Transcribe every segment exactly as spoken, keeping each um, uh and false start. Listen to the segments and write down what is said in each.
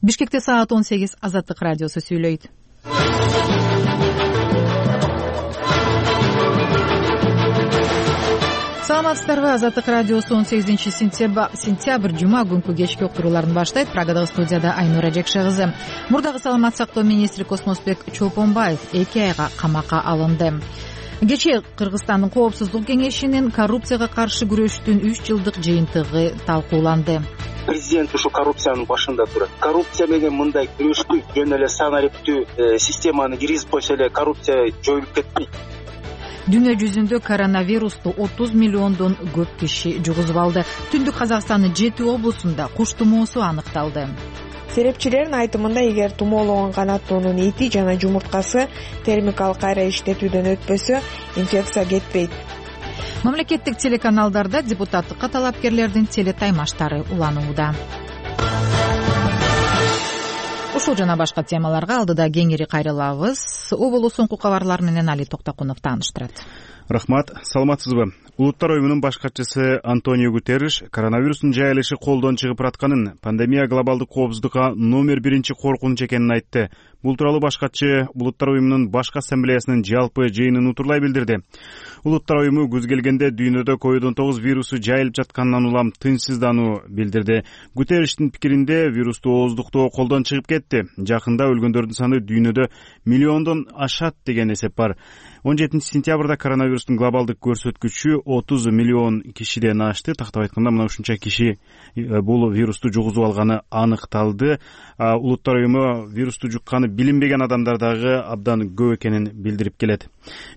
Бишкекте саат он сегиз. Азаттык радиосу сүйлөйт. Саламатсыздарбы? Азаттык радиосу он сегизинчи сентябрь жума күнкү кечки уктурууларын баштайт. Прагадагы студияда Айнура Жекше кызы. Мурдагы саламат сактоо министри Космосбек Чолпонбаев эки айга камакка алынды. Кечээ Кыргызстандын Коопсуздук кеңешинин коррупцияга каршы күрөштүн үч жылдык жыйынтыгы талкууланды. Президент ушу коррупциянын башында турат. Коррупция менен мындай күрөштү жөн эле санариптүү системаны киргизип койсо эле коррупция жоюлуп кетпейт. Дүйнө жүзүндө коронавирусту отуз миллиондон көп киши жугузуп алды. Түндүк Казакстандын жети облусунда куш тумоосу аныкталды. Серепчилердин айтымында, эгер тумоологон канаттоонун эти жана жумурткасы термикалык кайра иштетүүдөн өтпөсө, инфекция кетпейт. Мамлекеттик телеканалдарда депутаттыкка талапкерлердин телетаймаштары уланууда. Ушул жана башка темаларга алдыда кеңири кайрылабыз. Оболу соңку кабарлар менен Али Токтокунов тааныштырат. Рахмат, саламатсызбы? Улуттар уюмунун баш катчысы Антонио Гутерриш коронавирустун жайылышы колдон чыгып баратканын, пандемия глобалдык коопсуздукка номер биринчи коркунуч экенин айтты. Бул тууралуу баш катчы Улуттар уюмунун башкы ассамблеясынын жалпы жыйынын утурлай билдирди. Улуттар уюму күз келгенде дүйнөдө ковид он тогуз вирусу жайылып жатканынан улам тынчсыздануу билдирди. Гутерриштин пикиринде вирусту ооздуктоо колдон чыгып кетти. Жакында өлгөндөрдүн саны дүйнөдө миллиондон ашат деген эсеп бар. он жетинчи сентябрда коронавирустун глобалдык көрсөткүчү отуз миллион кишиден ашты. Тактап айтканда, мына ушунча киши бул вирусту жугузуп алганы аныкталды. Улуттар уюму вирусту жукканы билинбеген адамдар дагы абдан көп экенин билдирип келет.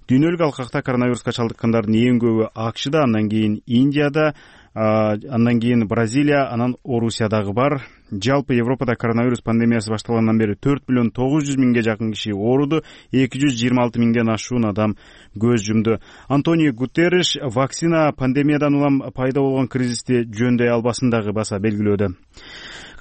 Дүйнөлүк алкакта коронавируска чалдыккандардын эң көбү АКШда, андан кийин Индияда, андан кийин Бразилия, анан Орусиядагы бар. Жалпы Европада коронавирус пандемиясы башталгандан бери төрт миллион тогуз жүз миңге жакын киши ооруду, эки жүз жыйырма алты миңден ашуун адам көз жумду. Антонио Гутерриш вакцина пандемиядан улам пайда болгон кризисти жөндөй албасын дагы баса белгилөөдө.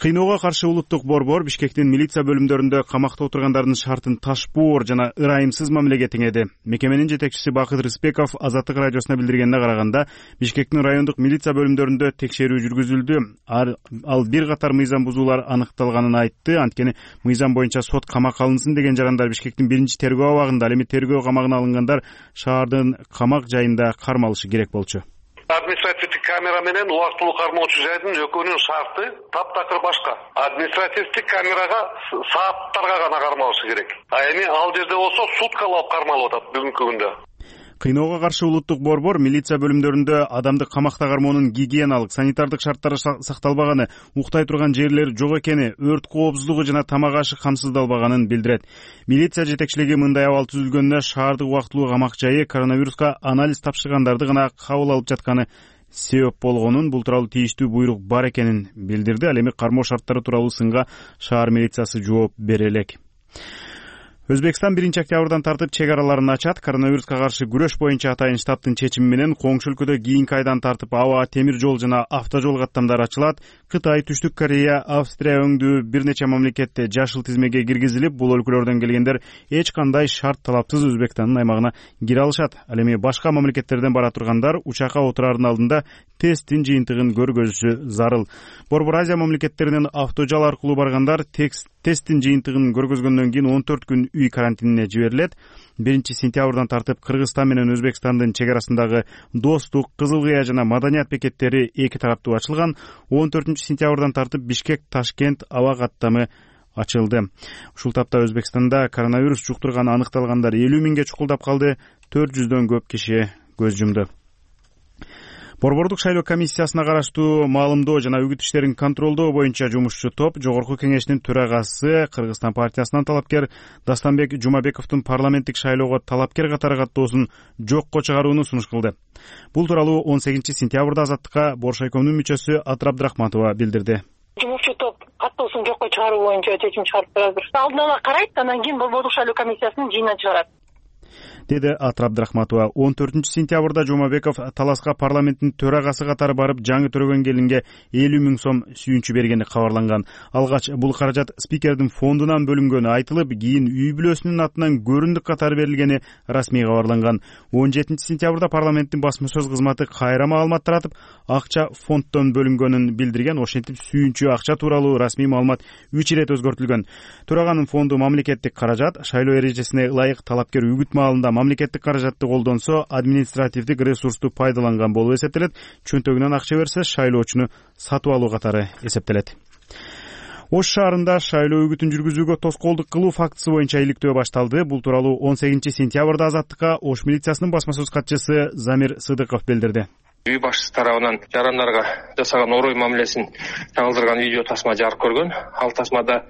Кыйноого каршы улуттук борбор Бишкектин милиция бөлүмдөрүндө камакта отургандардын шартын ташпоор жана ырайымсыз мамилеге теңеди. Мекеменин жетекчиси Бакыт Рыспеков Азаттык радиосуна билдиргенине караганда, Бишкектин райондук милиция бөлүмдөрүндө текшерүү жүргүзүлдү. Ал бир катар мыйзам бузуулар аныкталганын айтты. Анткени мыйзам боюнча сот камакка алынсын деген жарандар Бишкектин биринчи тергөө абагында, ал эми тергөө камагына алынгандар шаардын камак жайында кармалышы керек болчу. Административдик камера менен убактылуу кармоочу жайдын экөөнүн шарты таптакыр башка. Административдик камерага сааттарга гана кармалышы керек. А эми ал жерде болсо суткалап кармалып атат бүгүнкү күндө. Кыйноого каршы улуттук борбор милиция бөлүмдөрүндө адамды камакта кармоонун гигиеналык, санитардык шарттары сакталбаганы, уктай турган жерлер жок экени, өрт коопсуздугу жана тамак ашы камсыздалбаганын билдирет. Милиция жетекчилиги мындай абал түзүлгөндө шаардык убактылуу камак жайы коронавируска анализ тапшыргандарды гана кабыл алып жатканы себеп болгонун, бул тууралуу тийиштүү буйрук бар экенин билдирди. Ал эми кармоо шарттары тууралуу сынга шаар милициясы жооп бере элек. Өзбекстан биринчи октябрдан тартып чек араларын ачат. Коронавируска каршы күрөш боюнча атайын штабтын чечими менен коңшу өлкөдө кийинки айдан тартып аба, темир жол жана автожол каттамдары ачылат. Кытай, Түштүк Корея, Австрия өңдүү бир нече мамлекетте жашыл тизмеге киргизилип, бул өлкөлөрдөн келгендер эч кандай шарт талапсыз Өзбекстандын аймагына кире алышат. Ал эми башка мамлекеттерден бара тургандар учакка отурардын алдында тесттин жыйынтыгын көргөзүшү зарыл. Борбор Азия мамлекеттеринен автожол аркылуу баргандар тесттин жыйынтыгын көргөзгөндөн кийин он төрт күн үй карантинине жиберилет. биринчи сентябрдан тартып Кыргызстан менен Өзбекстандын чек арасындагы Достук, Кызыл Кыя жана Маданият бекеттери эки тараптуу ачылган. он төртүнчү сентябрдан тартып Бишкек, Ташкент аба каттамы ачылды. Ушул тапта Өзбекстанда коронавирус жуктурганы аныкталгандар элүү миңге чукулдап калды, төрт жүздөн көп киши көз жумду. Борбордук шайлоо комиссиясына караштуу маалымдоо жана үгүт иштерин контролдоо боюнча жумушчу топ Жогорку кеңештин төрагасы Кыргызстан партиясынан талапкер Дастанбек Жумабековдун парламенттик шайлоого талапкер катары каттоосун жокко чыгарууну сунуш кылды. Бул тууралуу он сегизинчи сентябрда Азаттыкка Боршайкомдун мүчөсү Атыр Абдрахматова билдирди. Жумушчу топ каттоосун жокко чыгаруу боюнча чечим чыгарып турат. Алдын ала карайт, андан кийин Борбордук шайлоо комиссиясынын жыйынына чыгарат. деди Атыр Абдрахматова. он төртүнчү сентябрда Жумабеков Таласка парламенттин төрагасы катары барып жаңы төрөгөн келинге элүү миң сом сүйүнчү бергени кабарланган. Алгач бул каражат спикердин фондунан бөлүнгөнү айтылып, кийин үй бүлөсүнүн атынан көрүндүк катары берилгени расмий кабарланган. он жетинчи сентябрда парламенттин басма сөз кызматы кайра маалымат таратып, акча фонддон бөлүнгөнүн билдирген. Ошентип сүйүнчү акча тууралуу расмий маалымат үч ирет өзгөртүлгөн. Төраганын фонду мамлекеттик каражат, шайлоо эрежесине ылайык талапкер үгүт маалында мамлекеттик каражатты колдонсо, административдик ресурсту пайдаланган болуп эсептелет. Чөнтөгүнөн акча берсе, шайлоочуну сатып алуу катары эсептелет. Ош шаарында шайлоо үгүтүн жүргүзүүгө тоскоолдук кылуу фактысы боюнча иликтөө башталды. Бул тууралуу он сегизинчи сентябрда Азаттыкка Ош милициясынын басма сөз катчысы Замир Сыдыков билдирди. Үй башчысы тарабынан жарандарга жасаган орой мамилесин чагылдырган видео тасма жарык көргөн. Ал тасмада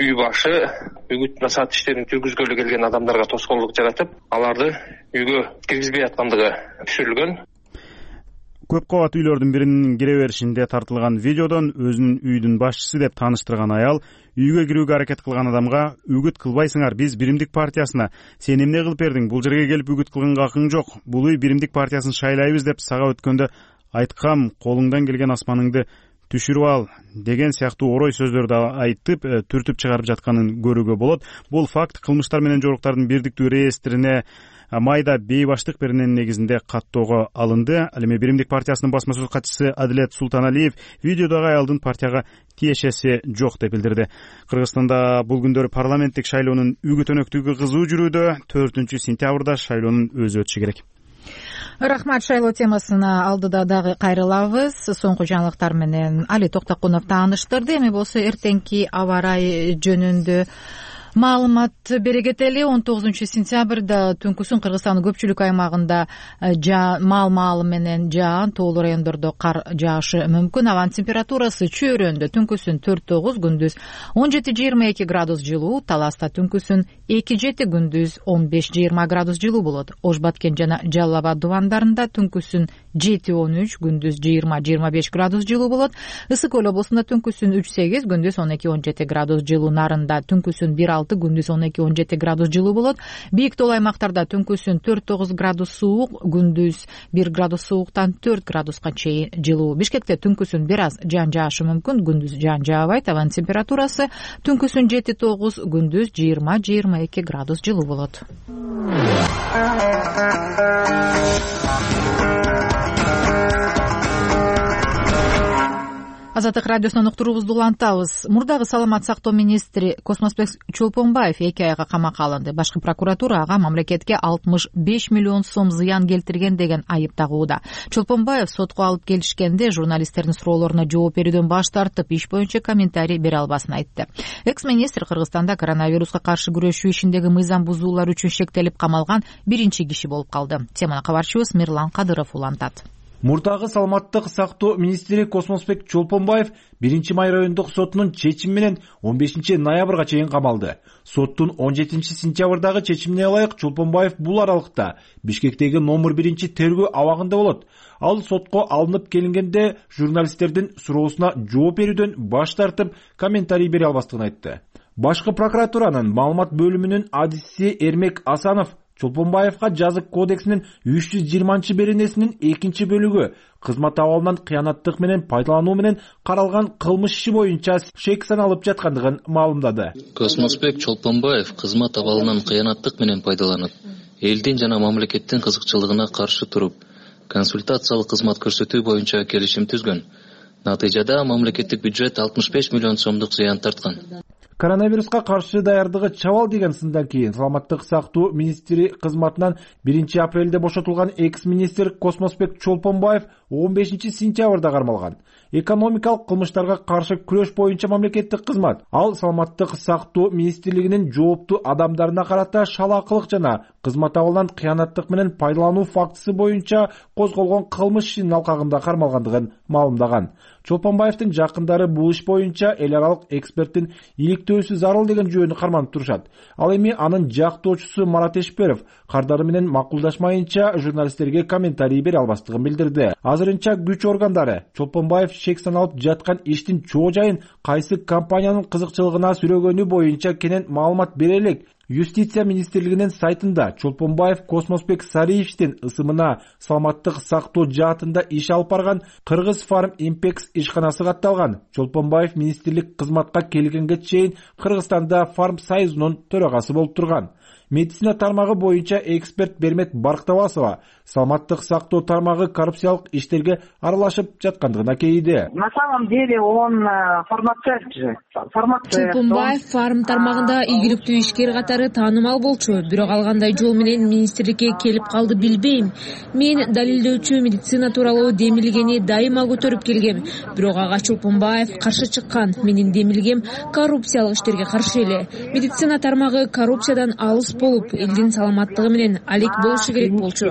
үй башы үгүт насаат иштерин жүргүзгөлү келген адамдарга тоскоолдук жаратып, аларды үйгө киргизбей аткандыгы түшүрүлгөн. Көп кабат үйлөрдүн биринин кире беришинде тартылган видеодон өзүнүн үйдүн башчысы деп тааныштырган аял үйгө кирүүгө аракет кылган адамга үгүт кылбайсыңар, биз Биримдик партиясына, сен эмне кылып бердиң, бул жерге келип үгүт кылганга акың жок, бул үй Биримдик партиясын шайлайбыз деп сага өткөндө айткам, колуңдан келген асманыңды түшүрүп ал деген сыяктуу орой сөздөрдү айтып, түртүп чыгарып жатканын көрүүгө болот. Бул факт кылмыштар менен жоруктардын бирдиктүү реестрине майда бейбаштык беренин негизинде каттоого алынды. Ал эми Биримдик партиясынын басма сөз катчысы Адилет Султаналиев видеодогу аялдын партияга тиешеси жок деп билдирди. Кыргызстанда бул күндөрү парламенттик шайлоонун үгүт өнөктүгү кызуу жүрүүдө. төртүнчү сентябрда шайлоонун өзү өтүшү керек. Рахмат. Шайлоо темасына алдыда дагы кайрылабыз. Соңку жаңылыктар менен Али Токтокунов тааныштырды. Эми болсо эртеңки аба ырайы жөнүндө маалымат бере кетели. он тогузунчу сентябрда түнкүсүн Кыргызстандын көпчүлүк аймагында маал маалы менен жаан, тоолуу райондордо кар жаашы мүмкүн. Абанын температурасы чөйрөндө түнкүсүн төрт тогуз, күндүз он жети жыйырма эки градус жылуу, Таласта түнкүсүн эки жети, күндүз он беш жыйырма градус жылуу болот. Ош Баткен жана Жалал Абад дубандарында түнкүсүн жети он үч, күндүз жыйырма жыйырма беш градус жылуу болот. Ысык көл облусунда түнкүсүн үч сегиз, күндүз он эки он жети градус жылуу. Нарында түнкүсүн бир алты, күндүз он эки он жети градус жылуу болот. Бийик тол аймактарда түнкүсүн төрт тогуз градус суук, күндүз бир градус сууктан төрт градуска чейин жылуу. Бишкекте түнкүсүн бир аз жаан жаашы мүмкүн, күндүз жаан жаабайт. Абанын температурасы түнкүсүн жети тогуз, күндүз жыйырма жыйырма эки градус жылуу болот. Азаттык радиосунан уктуруубузду улантабыз. Мурдагы саламат сактоо министри Космосбек Чолпонбаев эки айга камакка алынды. Башкы прокуратура ага мамлекетке алтымыш беш миллион сом зыян келтирген деген айып тагууда. Чолпонбаев сотко алып келишкенде журналисттердин суроолоруна жооп берүүдөн баш тартып, иш боюнча комментарий бере албасын айтты. Экс-министр Кыргызстанда коронавируска каршы күрөшүү ишиндеги мыйзам бузуулар үчүн шектелип камалган биринчи киши болуп калды. Теманы кабарчыбыз Мирлан Кадыров улантат. Мурдагы саламаттык сактоо министри Космосбек Чолпонбаев биринчи май райондук сотунун чечими менен он бешинчи ноябрга чейин камалды. Соттун он жетинчи сентябрдагы чечимине ылайык Чолпонбаев бул аралыкта Бишкектеги номер биринчи тергөө абагында болот. Ал сотко алынып келингенде журналисттердин суроосуна жооп берүүдөн баш тартып, комментарий бере албастыгын айтты. Башкы прокуратуранын маалымат бөлүмүнүн адиси Эрмек Асанов Чолпонбаевга жазык кодексинин үч жүз жыйырманчы беренесинин экинчи бөлүгү кызмат абалынан кыянаттык менен пайдалануу менен каралган кылмыш иши боюнча шек саналып жаткандыгын маалымдады. Космосбек Чолпонбаев кызмат абалынан кыянаттык менен пайдаланып, элдин жана мамлекеттин кызыкчылыгына каршы туруп, консультациялык кызмат көрсөтүү боюнча келишим түзгөн. Натыйжада мамлекеттик бюджет алтымыш беш миллион сомдук зыян тарткан. Коронавируска каршы даярдыгы чабал деген сындан кийин саламаттык сактоо министри кызматынан биринчи апрелде бошотулган экс-министр Космосбек Чолпонбаев он бешинчи сентябрда кармалган. Экономикалык кылмыштарга каршы күрөш боюнча мамлекеттик кызмат. Ал саламаттык сактоо министрлигинин жооптуу адамдарына карата шалаакылык жана кызмат абалынан кыянаттык менен пайдалануу фактысы боюнча козголгон кылмыш ишинин алкагында кармалгандыгын маалымдаган. Чолпонбаевдин жакындары бул иш боюнча эл аралык эксперттин иликтөөсү зарыл деген жүйөнү карманып турушат. Ал эми анын жактоочусу Марат Эшперов кардары менен макулдашмайынча журналисттерге комментарий бере албастыгын билдирди. Азырынча күч органдары Чолпонбаев шек саналып жаткан иштин чоо жайын кайсы компаниянын кызыкчылыгына сүрөгөнү боюнча кенен маалымат бере элек. Юстиция министрлигинин сайтында Чолпонбаев Космосбек Сариевичтин ысымына саламаттык сактоо жаатында иш алып барган Кыргыз Фарм Импекс ишканасы катталган. Чолпонбаев министрлик кызматка келгенге чейин Кыргызстанда Фарм Союзунун төрагасы болуп турган. Медицина тармагы боюнча эксперт Бермет Барктабасова саламаттык сактоо тармагы коррупциялык иштерге аралашып жаткандыгына кейиди. На самом деле он фармацевт же. Фармацевт. Чолпонбаев фарм тармагында ийгиликтүү ишкер катары таанымал болчу, бирок алгандай жол менен министрликке келип калды билбейм. Мен далилдөөчү медицина тууралуу демилгени дайыма көтөрүп келгем, бирок ага Чолпонбаев каршы чыккан. Менин демилгем коррупциялык иштерге каршы эле. Медицина тармагы коррупциядан алыс болуп, элдин саламаттыгы менен алек болушу керек болчу.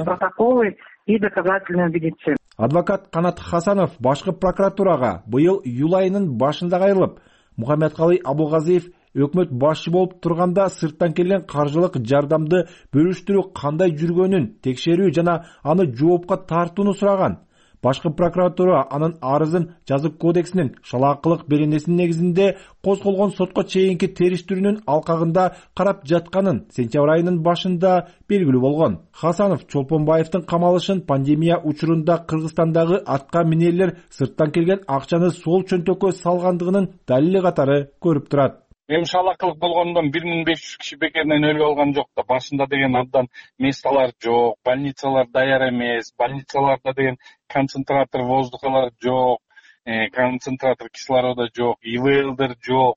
И доказательную медицину. Адвокат Канат Хасанов башкы прокуратурага быйыл июль айынын башында кайрылып, Мухаммедкалый Абулгазиев өкмөт башчы болуп турганда сырттан келген каржылык жардамды бөлүштүрүү кандай жүргөнүн текшерүү жана аны жоопко тартууну сураган. Башкы прокуратура анын арызын жазык кодексинин шалаакылык беренесинин негизинде козголгон сотко чейинки териштирүүнүн алкагында карап жатканын сентябрь айынын башында белгилүү болгон. Хасанов Чолпонбаевдин камалышын пандемия учурунда Кыргызстандагы атка минерлер сырттан келген акчаны сол чөнтөккө салгандыгынын далили катары көрүп турат. Эми шалаакылык болгондон бир миң беш жүз киши бекеринен өлүп алган жок да. Башында деген абдан месталар жок, больницалар даяр эмес, больницаларда деген концентратор воздухалар жок, концентратор кислорода жок, ИВЛдер жок.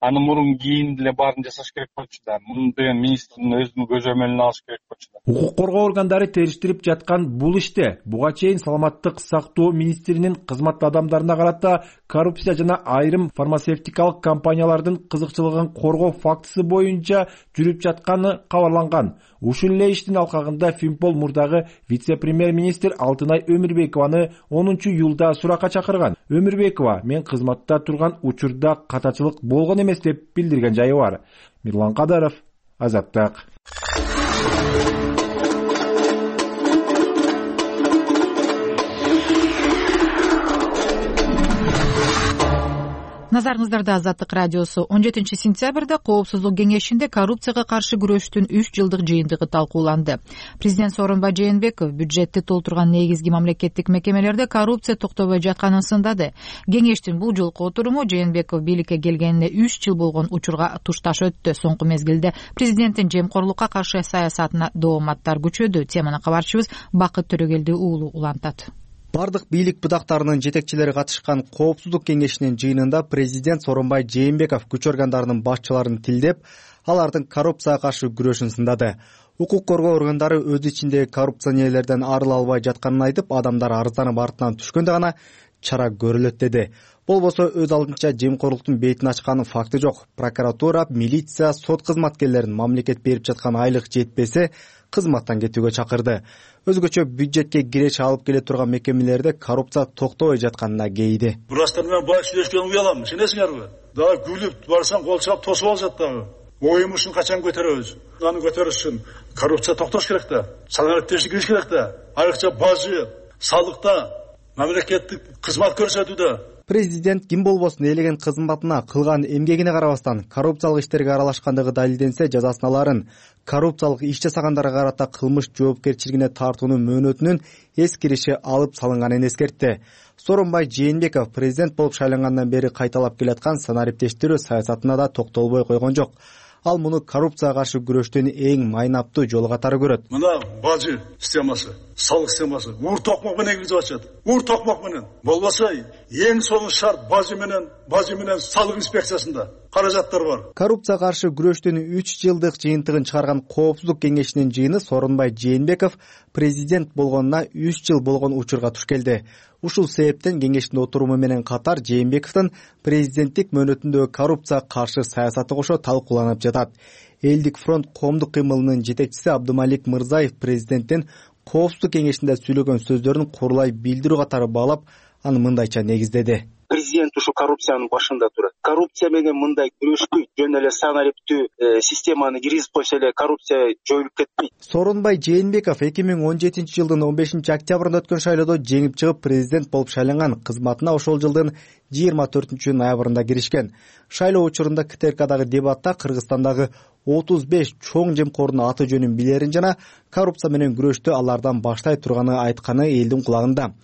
Аны мурун кийин деле баарын жасаш керек болчу да. Муну деген министрдин өзүнүн көзөмөлүнө алыш керек болчу да. Укук коргоо органдары териштирип жаткан бул иште буга чейин саламаттык сактоо министринин кызматтуу адамдарына карата коррупция жана айрым фармацевтикалык компаниялардын кызыкчылыгын коргоо фактысы боюнча жүрүп жатканы кабарланган. Ушул эле иштин алкагында Фимпол мурдагы вице-премьер-министр Алтынай Өмүрбекованы онунчу июлда суракка чакырган. Өмүрбекова мен кызматта турган учурда катачылык болгон эмес деп билдирген жайы бар. Мирлан Кадаров, Азаттык. Назарыңыздарда Азаттык радиосу он жетинчи сентябрда Коопсуздук кеңешинде коррупцияга каршы күрөштүн үч жылдык жыйынтыгы талкууланды. Президент Сооронбай Жээнбеков бюджетти толтурган негизги мамлекеттик мекемелерде коррупция токтобой жатканын сындады. Кеңештин бул жолку отуруму Жээнбеков бийликке келгенине үч жыл болгон учурга тушташ өттү. Соңку мезгилде президенттин жемкорлукка каршы саясатына дооматтар күчөдү. Теманы кабарчыбыз Бакыт Төрөгелди уулу улантат. Бардык бийлик бутактарынын жетекчилери катышкан Коопсуздук кеңешинин жыйынында президент Сооронбай Жээнбеков күч органдарынын башчыларын тилдеп, алардын коррупцияга каршы күрөшүн сындады. Укук коргоо органдары өз ичиндеги коррупционерлерден арыла албай жатканын айтып, адамдар арызданып артынан түшкөндө гана чара көрүлөт деди. Болбосо өз алдынча жемкорлуктун бетин ачкан факты жок. Прокуратура, милиция, сот кызматкерлерин мамлекет берип жаткан айлык жетпесе, кызматтан кетүүгө чакырды. Өзгөчө бюджетке киреш алып келе турган мекемелерде коррупция токтобой жатканына кейиди. Бурастар менен бай сүйлөшкөн уялам, сенесиңерби? Дагы күлүп барсаң кол чалып тосуп алышат дагы. Оюмушун качан көтөрөбүз? Аны көтөрүш үчүн коррупция токтош керек да. Санариптештик кириш керек да. Айрыкча бажы, салыкта, мамлекеттик кызмат көрсөтүүдө. Президент ким болбосун элеген кызматына кылган эмгегине карабастан коррупциялык иштерге аралашкандыгы далилденсе жазасын аларын, коррупциялык иш жасагандарга карата кылмыш жоопкерчилигине тартуунун мөөнөтүнүн эскириши алып салынганын эскертти. Сооронбай Жээнбеков президент болуп шайлангандан бери кайталап келаткан санариптештирүү саясатына да токтолбой койгон жок. Ал муну коррупцияга каршы күрөштүн эң майнаптуу жолу катары көрөт. Мына бажы системасы, салык системасы ур токмок менен киргизип атышат. Ур токмок менен. Болбосо эң сонун шарт бажы менен, бажы менен салык инспекциясында каражаттар бар. Коррупцияга каршы күрөштүн үч жылдык жыйынтыгын чыгарган Коопсуздук кеңешинин жыйыны Сооронбай Жээнбеков президент болгонуна үч жыл болгон учурга туш келди. Ушул себептен кеңештин отуруму менен катар Жээнбековдун президенттик мөөнөтүндөгү коррупцияга каршы саясаты кошо талкууланып жатат. Элдик фронт коомдук кыймылынын жетекчиси Абдымалик Мырзаев президенттин Коопсуздук кеңешинде сүйлөгөн сөздөрүн курулай билдирүү катары баалап, аны мындайча негиздеди. Президент президент ушул коррупциянын башында турат. Коррупция менен мындай күрөшпөйт, жөн эле санариптүү системаны киргизип койсо эле коррупция жоюлуп кетпейт. Сооронбай Жээнбеков эки миң он жетинчи жылдын он бешинчи октябрында өткөн шайлоодо жеңип чыгып президент болуп шайланган. Кызматына ошол жылдын жыйырма төртүнчү ноябрында киришкен. Шайлоо учурунда КТРКдагы дебатта Кыргызстандагы отуз беш чоң жемкордун аты жөнүн билерин жана коррупция менен күрөштү алардан баштай турганы айтканы элдин кулагында.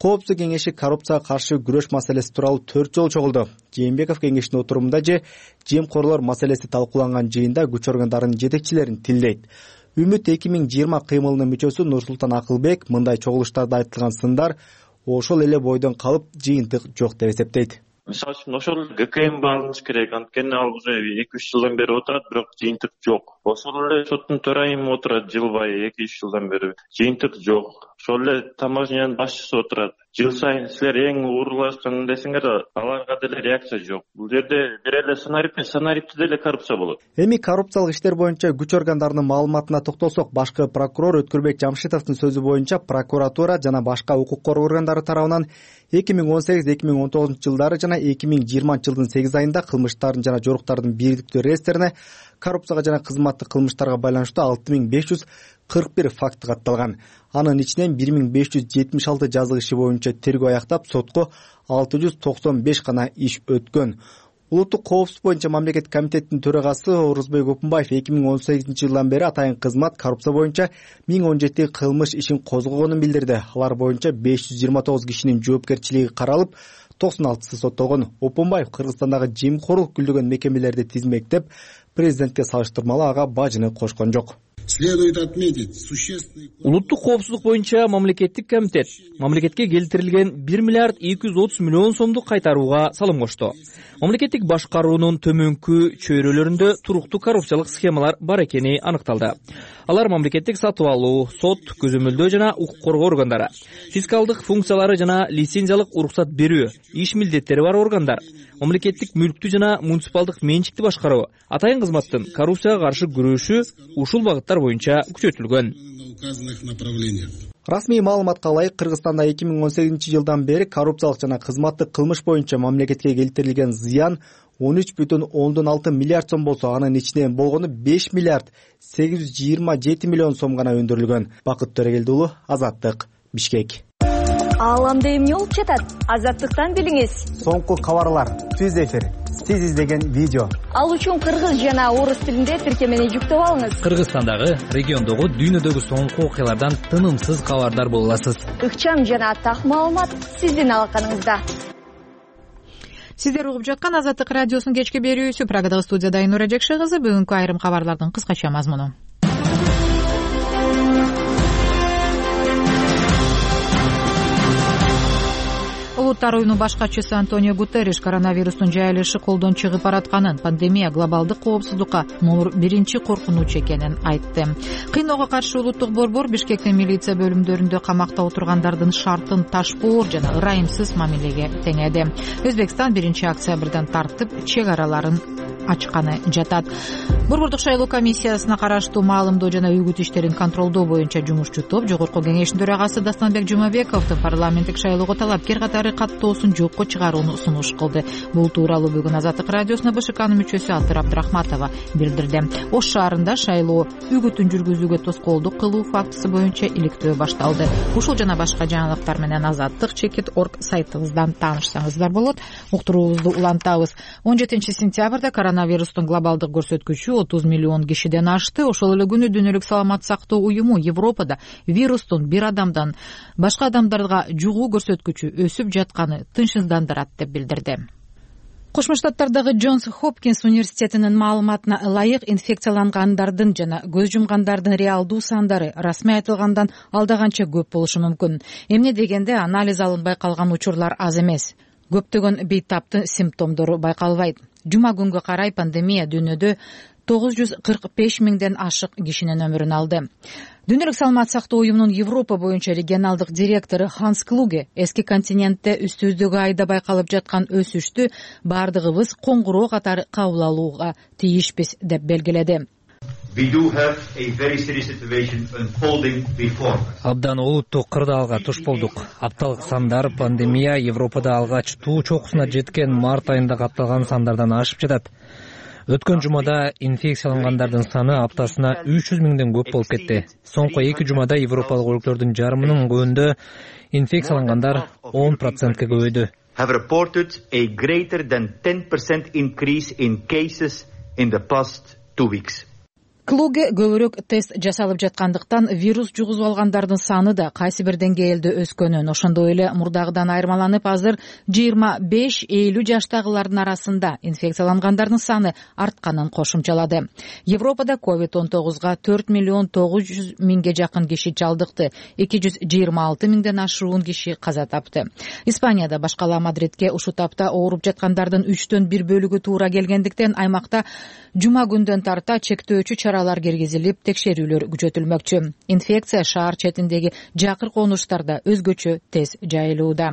Коопсуздук кеңеши коррупцияга каршы күрөш маселеси тууралуу төрт жолу чогулду. Жээнбеков кеңештин отурумунда же жемкорлор маселеси талкууланган жыйында күч органдарынын жетекчилерин тилдейт. Үмүт эки миң жыйырма кыймылынын мүчөсү Нурсултан Акылбек мындай чогулуштарда айтылган сындар ошол эле бойдон калып жыйынтык жок деп эсептейт. Мисалы үчүн ошол ГКМ алыныш керек, анткени ал уже эки үч жылдан бери отурат, бирок жыйынтык жок. Ошол эле соттун төрайымы отурат жылбай эки үч жылдан бери, жыйынтык жок. Ошол эле таможнянын башчысы отурат. Жыл сайын силер эң уурулашкан десеңер, аларга деле реакция жок. Бул жерде бир эле санарип, санарипте деле коррупция болот. Эми коррупциялык иштер боюнча күч органдарынын маалыматына токтолсок, башкы прокурор Өткүрбек Жамшитовдун сөзү боюнча прокуратура жана башка укук коргоо органдары тарабынан эки миң он сегиз эки миң он тогузунчу жылдары жана эки миң жыйырманчы жылдын сегиз айында кылмыштардын жана жоруктардын бирдиктүү реестрине коррупцияга жана кызматтык кылмыштарга байланыштуу алты миң беш жүз кырк бир факт катталган. Анын ичинен бир миң беш жүз жетимиш алты жазык иши боюнча тергөө аяктап, сотко алты жүз токсон беш гана иш өткөн. Улуттук коопсуздук боюнча мамлекеттик комитеттин төрагасы Орузбек Опунбаев эки миң он сегизинчи жылдан бери атайын кызмат коррупция боюнча миң он жети кылмыш ишин козгогонун билдирди. Алар боюнча беш жүз жыйырма тогуз кишинин жоопкерчилиги каралып, токсон алтысы соттолгон. Опунбаев Кыргызстандагы жемкорлук күлдөгөн мекемелерди тизмектеп, президентке салыштырмалуу ага бажыны кошкон жок. Следует отметить существенный... Улуттук коопсуздук боюнча мамлекеттик комитет мамлекетке келтирилген бир миллиард эки жүз отуз миллион сомду кайтарууга салым кошту. Мамлекеттик башкаруунун төмөнкү чөйрөлөрүндө туруктуу коррупциялык схемалар бар экени аныкталды. Алар мамлекеттик сатып алуу, сот, көзөмөлдөө жана укук коргоо органдары, фискалдык функциялары жана лицензиялык уруксат берүү, иш милдеттери бар органдар, мамлекеттик мүлктү жана муниципалдык менчикти башкаруу, атайын кызматтын коррупцияга каршы күрөшү ушул багыттар боюнча күчөтүлгөн. Расмий маалыматка ылайык, Кыргызстанда эки миң он сегизинчи жылдан бери коррупциялык жана кызматтык кылмыш боюнча мамлекетке келтирилген зыян он үч бүтүн ондон алты миллиард сом болсо, анын ичинен болгону беш миллиард сегиз жүз жыйырма жети миллион сом гана өндүрүлгөн. Бакыт Төрегелди уулу, Азаттык, Бишкек. Ааламда эмне болуп жатат? Азаттыктан билиңиз. Соңку кабарлар, түз эфир, сиз издеген видео. Ал үчүн кыргыз жана орус тилинде тиркемени жүктөп алыңыз. Кыргызстандагы, региондогу, дүйнөдөгү соңку окуялардан тынымсыз кабардар боло аласыз. Ыкчам жана так маалымат сиздин алаканыңызда. Сиздер угуп жаткан Азаттык радиосунун кечки берүүсү. Программада студияда Айнура Жекше кызы. Бүгүнкү айрым кабарлардын кыскача мазмуну. Улуттар уюмунун баш катчысы Антонио Гутерриш коронавирустун жайылышы колдон чыгып баратканын, пандемия глобалдык коопсуздукка номер биринчи коркунуч экенин айтты. Кыйноого каршы улуттук борбор Бишкектин милиция бөлүмдөрүндө камакта отургандардын шартын ташпоор жана ырайымсыз мамилеге теңеди. Өзбекстан биринчи октябрдан тартып чек араларын ачканы жатат. Борбордук шайлоо комиссиясына караштуу маалымдоо жана үгүт иштерин контролдоо боюнча жумушчу топ Жогорку кеңештин төрагасы Дастанбек Жумабековдун парламенттик шайлоого талапкер катары каттоосун жокко чыгарууну сунуш кылды. Бул тууралуу бүгүн Азаттык радиосуна БШКнын мүчөсү Алтыр Абдрахматова билдирди. Ош шаарында шайлоо үгүтүн жүргүзүүгө тоскоолдук кылуу фактысы боюнча иликтөө башталды. Ушул жана башка жаңылыктар менен азаттык чекит точка орг сайтыбыздан таанышсаңыздар болот. Уктуруубузду улантабыз. он жетинчи сентябрда коронавирустун глобалдык көрсөткүчү отуз миллион кишиден ашты. Ошол эле күнү Дүйнөлүк саламаттык сактоо уюму Европада вирустун бир адамдан башка адамдарга жугуу көрсөткүчү өсүп жатканы тынчсыздандырат деп билдирди. Кошмо Штаттардагы Джонс Хопкинс университетинин маалыматына ылайык инфекциялангандардын жана көз жумгандардын реалдуу сандары расмий айтылгандан алдаганча көп болушу мүмкүн. Эмне дегенде анализ алынбай калган учурлар аз эмес. Көптөгөн бейтаптын симптомдору байкалбайт. Жума күнгө карай пандемия дүйнөдө тогуз жүз кырк беш миңден ашык кишинин өмүрүн алды. Дүйнөлүк саламаттык сактоо уюмунун Европа боюнча регионалдык директору Ханс Клуге эски континентте үстүбүздөгү айда байкалып жаткан өсүштү бардыгыбыз коңгуроо катары кабыл алууга тийишпиз деп белгиледи. Абдан олуттуу кырдаалга туш болдук. Апталык сандар пандемия Европада алгач туу чокусуна жеткен март айында катталган сандардан ашып жатат. Өткөн жумада инфекциялангандардын саны аптасына үч жүз миңден көп болуп кетти. Соңку эки жумада европалык өлкөлөрдүн жарымынын көбүндө инфекциялангандар он процентке көбөйдү. Have reported a greater than ten percent increase in cases in the past two weeks. Клуге көбүрөөк тест жасалып жаткандыктан вирус жугузуп алгандардын саны да кайсы бир деңгээлде өскөнүн, ошондой эле мурдагыдан айырмаланып азыр жыйырма беш элүү жаштагылардын арасында инфекциялангандардын саны артканын кошумчалады. Европада ковид он тогузга төрт миллион тогуз жүз миңге жакын киши чалдыкты, эки жүз жыйырма алты миңден ашуун киши каза тапты. Испанияда башкала Мадридке ушул тапта ооруп жаткандардын үчтөн бир бөлүгү туура келгендиктен аймакта жума күндөн тарта чектөөчү чаралар киргизилип, текшерүүлөр күчөтүлмөкчү. Инфекция шаар четиндеги жакыр конуштарда өзгөчө тез жайылууда.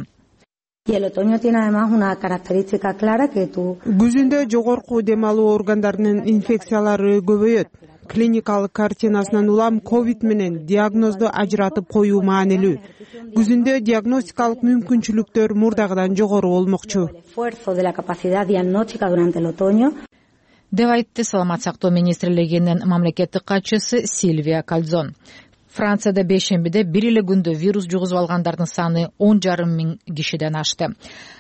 Күзүндө жогорку дем алуу органдарынын инфекциялары көбөйөт. Клиникалык картинасынан улам ковид менен диагнозду ажыратып коюу маанилүү. Күзүндө диагностикалык мүмкүнчүлүктөр мурдагыдан жогору болмокчу. деп айтты Саламат сактоо министрлигинин мамлекеттик катчысы Сильвия Кальзон. Францияда бейшембиде бир эле күндө вирус жугузуп алгандардын саны он жарым миң кишиден ашты.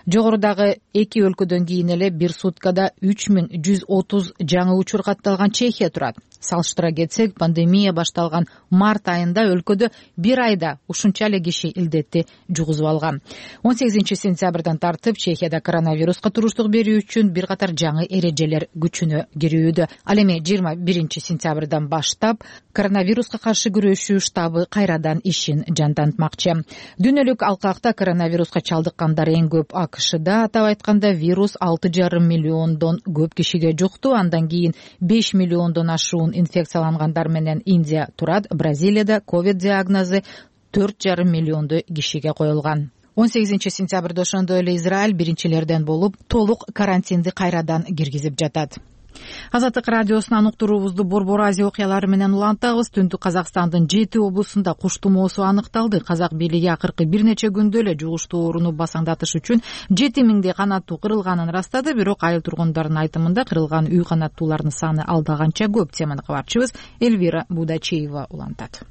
Жогорудагы эки өлкөдөн кийин эле бир суткада үч миң жүз отуз жаңы учур катталган Чехия турат. Салыштыра кетсек, пандемия башталган март айында өлкөдө бир айда ушунча эле киши илдетти жугузуп алган. он сегизинчи сентябрдан тартып Чехияда коронавируска туруштук берүү үчүн бир катар жаңы эрежелер күчүнө кирүүдө. Ал эми жыйырма биринчи сентябрдан баштап коронавируска каршы күрөшүү штабы кайрадан ишин жандантмакчы. Дүйнөлүк алкакта коронавируска чалдыккандар эң көп АКШда, атап айтканда вирус алты жарым миллиондон көп кишиге жукту, андан кийин беш миллиондон ашуун инфекциялангандар менен Индия турат. Бразилияда ковид диагнозу төрт жарым миллионду кишиге коюлган. он сегизинчи сентябрда ошондой эле Израиль биринчилерден болуп толук карантинди кайрадан киргизип жатат. Азаттык радиосунан уктуруубузду Борбор Азия окуялары менен улантабыз. Түндүк Казакстандын жети облусунда куш тумоосу аныкталды. Казак бийлиги акыркы бир нече күндө эле жугуштуу ооруну басаңдатыш үчүн жети миңдей канаттуу кырылганын ырастады. Бирок айыл тургундардын айтымында кырылган үй канаттуулардын саны алда канча көп. Теманы кабарчыбыз Эльвира Будачеева улантат.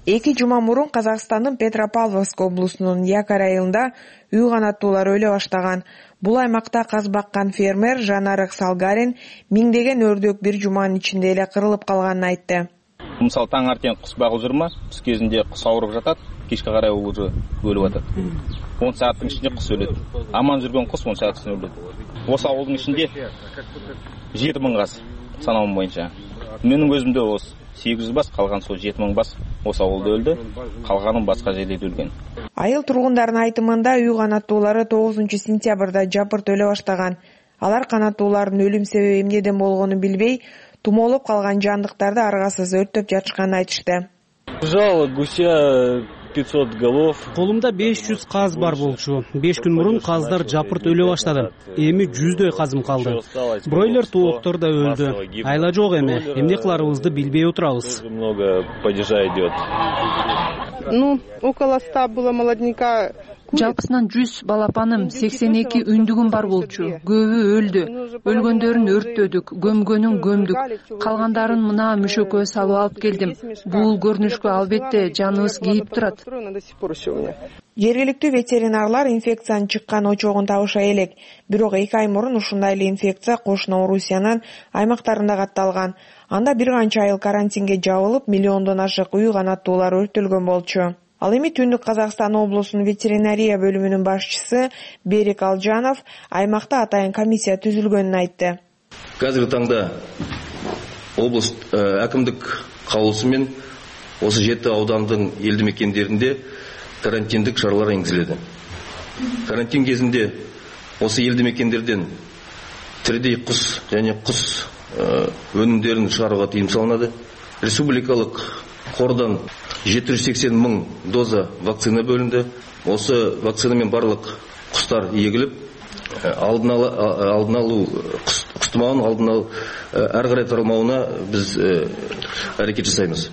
Эки жума мурун Казакстандын Петропавловск облусунун Якар айылында үй канаттуулар өлө баштаган. Бул аймакта каз баккан фермер Жанарык Салгарин миңдеген өрдөк бир жуманын ичинде эле кырылып калганын айтты. Мисалы таңертең кус багып жүрмө, түс кезинде кус ауырып жатат, кечке карай уже өлүп атат. он сааттын ичинде кус өлөт. Аман жүргөн кус он сааттын ичинде өлөт. Осы ауылдын ичинде жети миң газ санауым боюнча. Менин көзүмдө осы сегиз жүз бас, калган сол жети миң бас осы ауылда өлдү, калганын башка жерлерде өлгөн. Айыл тургундардын айтымында үй канаттуулары тогузунчу сентябрда жапырт өлө баштаган. Алар канаттуулардын өлүм себеби эмнеден болгонун билбей, тумоолоп калган жандыктарды аргасыз өрттөп жатышканын айтышты. Жало гуся пятьсот голов. Колумда беш жүз каз бар болчу. беш күн мурун каздар жапырт өлө баштады. Эми жүздөй казым калды. Бройлер тооктор да өлдү. Айла жок эми. Эмне кыларыбызды билбей отурабыз. Много падежа идет. Ну, около ста было молодняка. Жалпысынан жүз балапаным, сексен эки үндүгүм бар болчу. Көбү өлдү. Өлгөндөрүн өрттөдүк, көмгөнүн көмдүк. Калгандарын мына мүшөккө салып алып келдим. Бул көрүнүшкө албетте жаныбыз кейип турат. Жергиликтүү ветеринарлар инфекциянын чыккан очогун табыша элек. Бирок эки ай мурун ушундай эле инфекция кошуна Орусиянын аймактарында катталган. Анда бир канча айыл карантинге жабылып, миллиондон ашык үй канаттуулар өрттөлгөн болчу. Ал эми Түндүк Казакстан облусунун ветеринария бөлүмүнүн башчысы Берик Алжанов аймакта атайын комиссия түзүлгөнүн айтты. Қазіргі таңда облыс әкімдік каулусумен осы жеті аудандың елді мекендерінде карантиндік шаралар енгізіледі. Карантин кезінде осы елді мекендерден тірідей құс және құс өнімдерін шығаруға тыйым салынады. Республикалық қордан жеті жүз сексен мың доза вакцина бөлінді. Осы вакцинамен барлық құстар егіліп, алдын алу құс тұмауын алдын алу әрі қарай таралмауына біз аракет жасайбыз.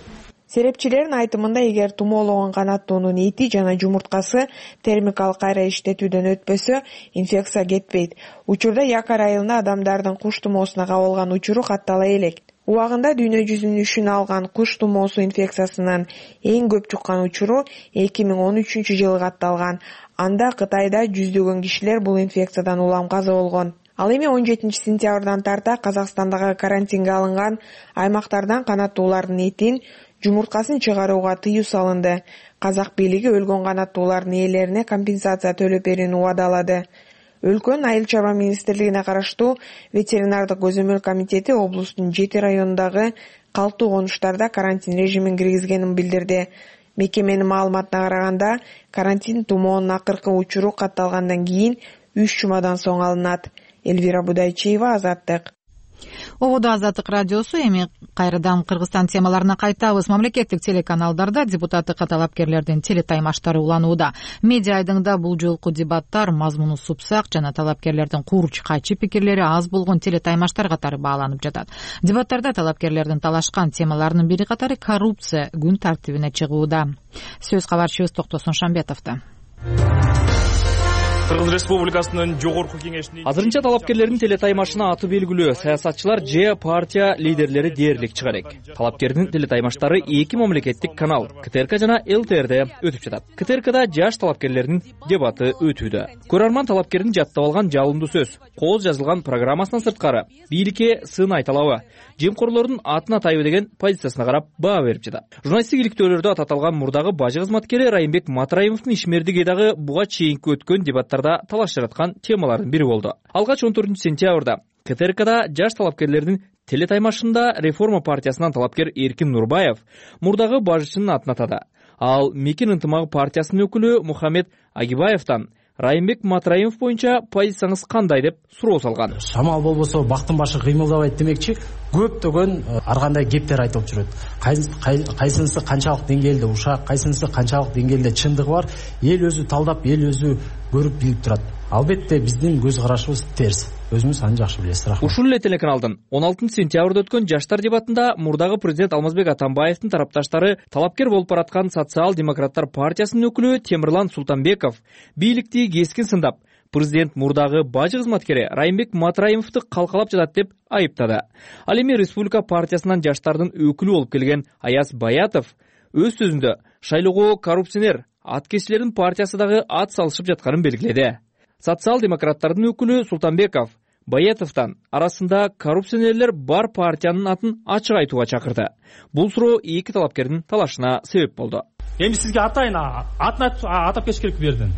Серепчилердин айтымында, эгер тумоологон канаттуунун эти жана жумурткасы термикалык кайра иштетүүдөн өтпөсө, инфекция кетпейт. Учурда якар айылында адамдардын куш тумоосуна кабылган учуру каттала элек. Убагында дүйнө жүзүнүн үшүн алган куш тумоосу инфекциясынан эң көп чуккан учуру эки миң он үчүнчү жылы катталган. Анда Кытайда жүздөгөн кишилер бул инфекциядан улам каза болгон. Ал эми он жетинчи сентябрдан тарта Казакстандагы карантинге алынган аймактардан канаттуулардын этин, жумурткасын чыгарууга тыюу салынды. Казак бийлиги өлгөн канаттуулардын ээлерине компенсация төлөп берүүнү убадалады. Өлкөнүн айыл чарба министрлигине караштуу ветеринардык көзөмөл комитети облустун жети районундагы калктуу конуштарда карантин режимин киргизгенин билдирди. Мекеменин маалыматына караганда, карантин тумоонун акыркы учуру катталгандан кийин үч жумадан соң алынат. Элвира Будайчиева, Азаттык. Ободо Азаттык радиосу. Эми кайрадан Кыргызстан темаларына кайтабыз. Мамлекеттик телеканалдарда депутаттыкка талапкерлердин телетаймаштары уланууда. Медиа айдыңда бул жолку дебаттар мазмуну супсак жана талапкерлердин курч кайчы пикирлери аз болгон телетаймаштар катары бааланып жатат. Дебаттарда талапкерлердин талашкан темаларынын бири катары коррупция күн тартибине чыгууда. Сөз кабарчыбыз Токтосун Шамбетовдо. Кыргыз Республикасынын жогорку кеңешинин азырынча талапкерлердин телетаймашына аты белгилүү саясатчылар же партия лидерлери дээрлик чыга элек. Талапкердин телетаймаштары эки мамлекеттик канал КТРК жана ЛТРде өтүп жатат. КТРКда жаш талапкерлердин дебаты өтүүдө. Көрөрман талапкердин жаттап алган жалындуу сөз, кооз жазылган программасынан сырткары бийликке сын айталабы, жемкорлордун атына тайбы деген позициясына карап баа берип жатат. Журналисттик иликтөөлөрдө ататалган мурдагы бажы кызматкери Райымбек Матраимовдун ишмердик эдагы буга чейинки өткөн дебаттар талаш жараткан темалардын бири болду. Алгач он төртүнчү сентябрда КТРКда жаш талапкерлердин телетаймашында Реформа партиясынан талапкер Эркин Нурбаев мурдагы бажычынын атын атады. Ал Мекен ынтымагы партиясынын өкүлү Мухаммед Агибаевтан Райымбек Матраимов боюнча позицияңыз кандай деп суроо салган. Шамал болбосо бактын башы кыймылдабайт демекчи, көптөгөн ар кандай кептер айтылып жүрөт. Кайсынысы канчалык деңгээлде ушак, кайсынысы канчалык деңгээлде чындыгы бар, эл өзү талдап, эл өзү көрүп билип турат. Албетте биздин көз карашыбыз терс. Өзүңүз аны жакшы билесиз. Рахмат. Ушул эле телеканалдын он алтынчы сентябрда өткөн жаштар дебатында мурдагы президент Алмазбек Атамбаевдин тарапташтары талапкер болуп бараткан социал-демократтар партиясынын өкүлү Темирлан Султанбеков бийликти кескин сындап, президент мурдагы бажы кызматкери Райымбек Матраимовду калкалап жатат деп айыптады. Ал эми Республика партиясынан жаштардын өкүлү болуп келген Аяз Баятов өз сөзүндө шайлоого коррупционер аткечилердин партиясы дагы ат салышып жатканын белгиледи. Социал-демократтардын өкүлү Султанбеков Баятовдон арасында коррупционерлер бар партиянын атын ачык айтууга чакырды. Бул суроо эки талапкердин талашына себеп болду. Эми сизге атайын атын атап кетиш керек бердин.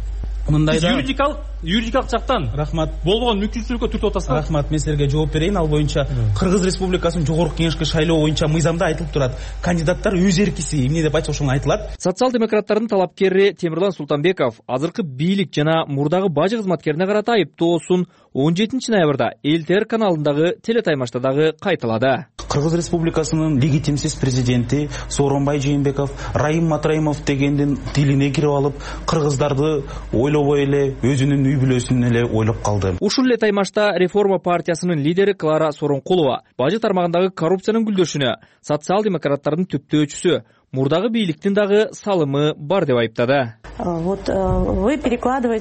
Мындайда юридикалык юридикалык жактан рахмат болгон мүмкүнчүлүккө түртүп атасызбы? Рахмат, мен силерге жооп берейин. Ал боюнча Кыргыз Республикасынын жогорку кеңешке шайлоо боюнча мыйзамда айтылып турат. Кандидаттар өз эркиси эмне деп айтса ошону айтылат. Социал-демократтардын талапкери Темирлан Султанбеков азыркы бийлик жана мурдагы бажы кызматкерине карата айыптоосун он жетинчи ноябрда ЛТР каналындагы телетаймашта дагы кайталады. Кыргыз Республикасынын легитимсиз президенти Сооронбай Жээнбеков Райым Матраимов дегендин тилине кирип алып, кыргыздарды ойлобой эле өзүнүн үй бүлөсүн эле ойлоп калды. Ушул эле таймашта Реформа партиясынын лидери Клара Сооронкулова бажы тармагындагы коррупциянын гүлдөшүнө социал-демократтардын түптөөчүсү мурдагы бийликтин дагы салымы бар деп айыптады.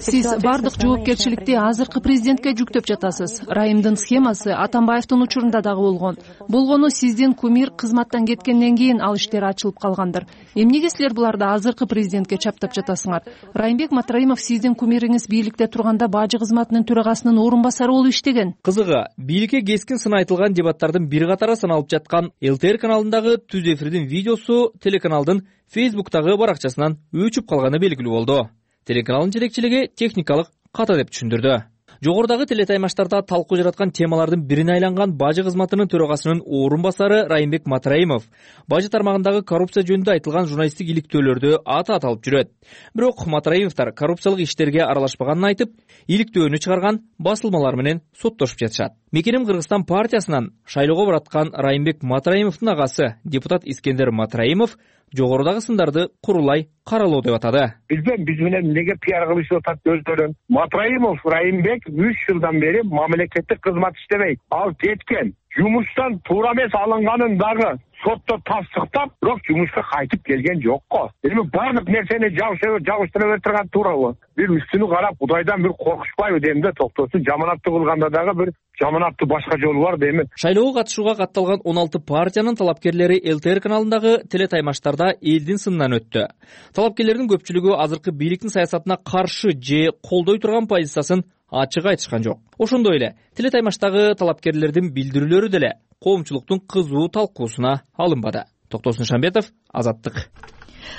Сиз бардык жоопкерчиликти азыркы президентке жүктөп жатасыз. Райымдын схемасы Атамбаевдин учурунда дагы болгон. Болгону сиздин кумир кызматтан кеткенден кийин ал иштер ачылып калгандыр. Эмнеге силер буларды азыркы президентке чаптап жатасыңар? Райымбек Матраимов сиздин кумириңиз бийликте турганда бажы кызматынын төрагасынын орун басары болуп иштеген. Кызыгы, бийликке кескин сын айтылган дебаттардын бир катары саналып жаткан ЛТР каналындагы түз эфирдин видеосу телеканалдын Фейсбуктагы баракчасынан өчүп калганы белгилүү болду. Телеканалдын жетекчилиги техникалык ката деп түшүндүрдү. Жогорудагы телетаймаштарда талкуу жараткан темалардын бирине айланган бажы кызматынын төрагасынын орун басары Райымбек Матраимов бажы тармагындагы коррупция жөнүндө айтылган журналисттик иликтөөлөрдө аты аталып жүрөт. Бирок Матраимовдор коррупциялык иштерге аралашпаганын айтып, иликтөөнү чыгарган басылмалар менен соттошуп жатышат. Мекеним Кыргызстан партиясынан шайлоого бараткан Райымбек Матраимовдун агасы депутат Искендер Матраимов жогорудагы сындарды курулай каралоо деп атады. Бизден биз менен эмнеге пиар кылышып атат өздөрүн? Матраимов Райымбек үч жылдан бери мамлекеттик кызмат иштебейт. Ал кеткен. жумуштан туура эмес алынганын дагы сотто тастыктап, бирок жумушка кайтып келген жок го. Эми баардык нерсени жабыштыра берип турган туурабы? Бир үстүнү карап, Кудайдан бир коркушпайбы дейм да, токтосун. Жаманатты кылганда дагы бир жаманаттын башка жолу бар дейм. Шайлоого катышууга катталган он алты партиянын талапкерлери эл тэ эр каналындагы телетаймаштарда элдин сынынан өттү. Талапкерлердин көпчүлүгү азыркы бийликтин саясатына каршы же колдой турган позициясын ачык айтышкан жок. Ошондой эле телетаймаштагы талапкерлердин билдирүүлөрү деле коомчулуктун кызуу талкуусуна алынбады. Токтосун Шамбетов, Азаттык.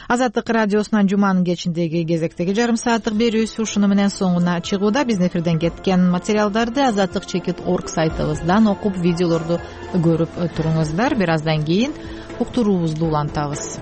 Азаттык радиосунан жуманын кечиндеги кезектеги жарым сааттык берүүбүз ушуну менен соңуна чыгууда. Биздин эфирден кеткен материалдарды азаттык чекит точка орг сайтыбыздан окуп, видеолорду көрүп туруңуздар. Бир аздан кийин уктуруубузду улантабыз.